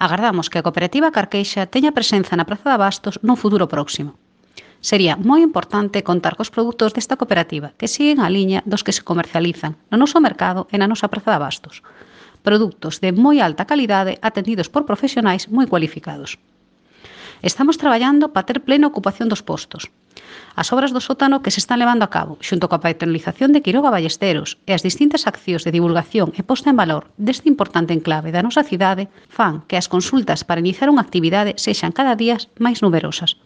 Agardamos que a cooperativa Carqueixa teña presenza na Praza de Abastos nun futuro próximo. Sería moi importante contar cos produtos desta cooperativa que siguen a liña dos que se comercializan no noso mercado e na nosa Praza de Abastos. Produtos de moi alta calidade atendidos por profesionais moi cualificados. Estamos traballando para ter plena ocupación dos postos. As obras do sótano que se están levando a cabo, xunto coa patronalización de Quiroga Ballesteros e as distintas accións de divulgación e posta en valor deste importante enclave da nosa cidade, fan que as consultas para iniciar unha actividade sexan cada día máis numerosas.